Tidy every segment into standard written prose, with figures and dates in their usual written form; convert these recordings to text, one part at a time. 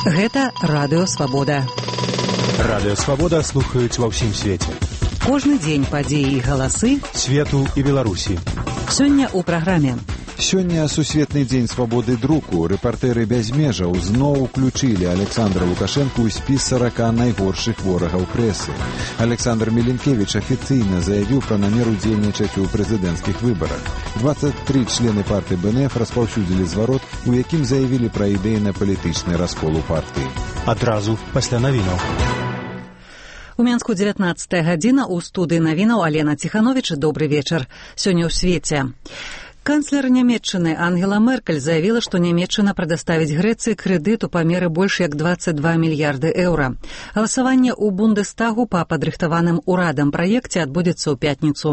Гэта Радыё Свабода. Радыё Свабода слухаюць ва ўсім свеце. Кожны дзень падзеі і галасы свету і Беларусі. Сёння ў праграме. Сёння сусветны дзень свабоды друку. Рэпартэры без межаў зноў уключылі Александра Лукашэнку ў спіс 40 найгоршых ворагаў прэсы. Александр Меленкевіч афіцыйна заявіў пра намер удзельнічаць у прэзідэнцкіх выбарах. 23 члены партыі БНФ распаўсюдзілі зварот, у якім заявілі пра ідэйна-палітычны раскол у партыі. Адразу пасля навінаў. У Менску 19 гадзіна, у студыі навінаў Алена Ціхановіч. Добры вечар. Сёння ў свеце. Канцлер Нямецчыны Ангела Меркель заявила, што Нямецчына прадаставіць Грэцыі крэдыт у памеры больш як 22 мільярды еўра. Галасаванне ў Бундестагу па падрыхтаваным урадам праекце адбудзецца ў пятніцу.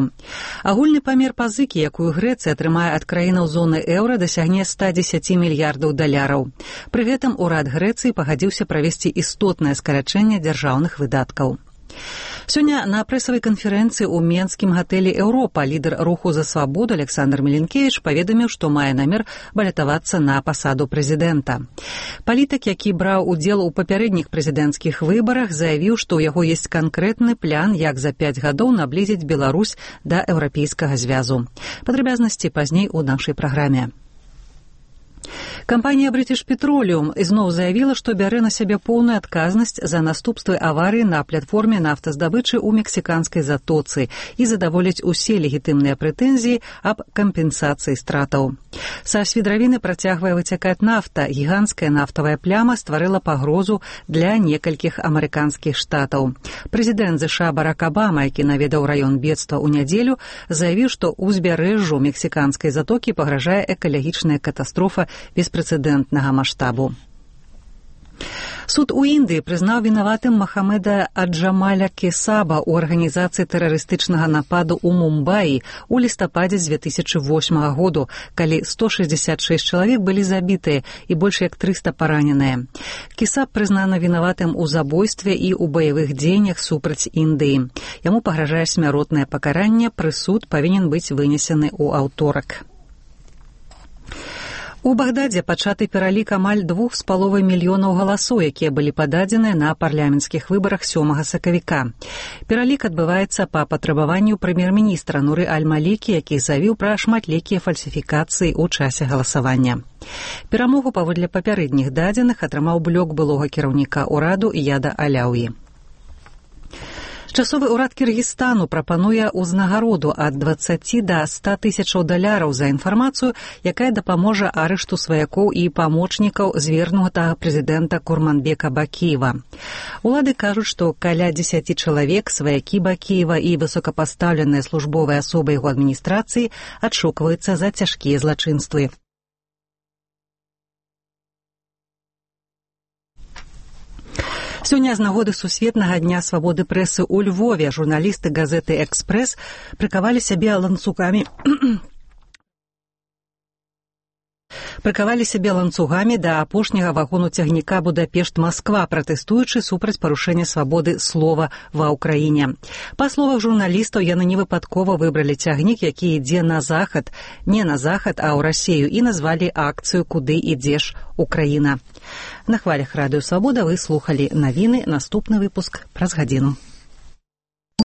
Агульны памер пазыкі, якую Грэцыя атрымае ад краінаў зоны еўра, дасягне 110 мільярдаў даляраў. Пры гэтым урад Грэцыі пагадзіўся правесці істотнае скарачэнне дзяржаўных выдаткаў. Сёння на прэсавай канферэнцыі ў менскім гатэлі «Еўропа» лідар руху за свабоду Александр Меленкевіч паведаміў, што мае намер балятавацца на пасаду прэзідэнта. Палітык, які браў удзел у папярэдніх прэзідэнцкіх выбарах, заявіў, што ў яго ёсць канкрэтны план, як за 5 гадоў наблізіць Беларусь да еўрапейскага звязу. Падрабязнасці пазней у нашай праграме. Кампанія British Petroleum ізноў заявіла, што бярэ на сябе поўную адказнасць за наступствы аварыі на платформе нафтаздабычы ў мексіканскай затоцы і задаволіць усе легітымныя прэтэнзіі аб кампенсацыі стратаў. Са свідравіны працягвае выцякаць нафта. Гіганцкая нафтавая пляма стварыла пагрозу для некалькіх амерыканскіх штатаў. Прэзідэнт ЗША Барак Абама, які наведаў раён бедства ў нядзелю, заявіў, што ўзбярэжжу мексіканскай затокі пагражае экалагічная катастрофа беспрэцэдэнтнага маштабу. Суд у Індыі прызнаў вінаватым Махамеда Аджамаля Кесаба ў арганізацыі тэрарыстычнага нападу ў Мумбаі ў лістападзе 2008 году, калі 166 чалавек былі забітыя і больш як 300 параненыя. Кесаб прызнаны вінаватым у забойстве і ў баявых дзеяннях супраць Індыі. Яму пагражае смяротнае пакаранне, прысуд павінен быць вынесены ў аўторак. У Багдадзе пачаты пералік амаль 2,5 мільёнаў галасоў, якія былі пададзеныя на парламенцкіх выбарах 7 сакавіка. Пералік адбываецца па патрабаванню прэм'ер-міністра Нуры Аль-Малікі, які заявіў пра шматлікія фальсіфікацыі ў часе галасавання. Перамогу паводле папярэдніх дадзеных атрымаў блок былога кіраўніка ўраду Ияда Аляўі. Часовы ўрад Кіргізстану прапануе ўзнагароду ад 20 да 100 тысячаў даляраў за інфармацыю, якая дапаможа арышту сваякоў і памочнікаў звернутага прэзідэнта Курманбека Бакіева. Улады кажуць, што каля 10 чалавек, сваякі Бакіева і высокапастаўленыя службовыя асобы яго адміністрацыі адшукваюцца за цяжкія злачынствы. Сёння з нагоды сусветнага дня свабоды прэсы ў Львове журналісты газеты «Экспрэс» прыкавалі сябе ланцугамі да апошняга вагону цягніка Будапешт-Масква, пратэстуючы супраць парушэння свабоды слова ва ўкраіне. Па словах журналістаў, яны невыпадкова выбралі цягнік, які ідзе на захад, не на захад, а ў Расею, і назвалі акцыю «Куды ідзеш, Украіна». На хвалях Радыё Свабода вы слухалі навіны. Наступны выпуск праз гадзіну.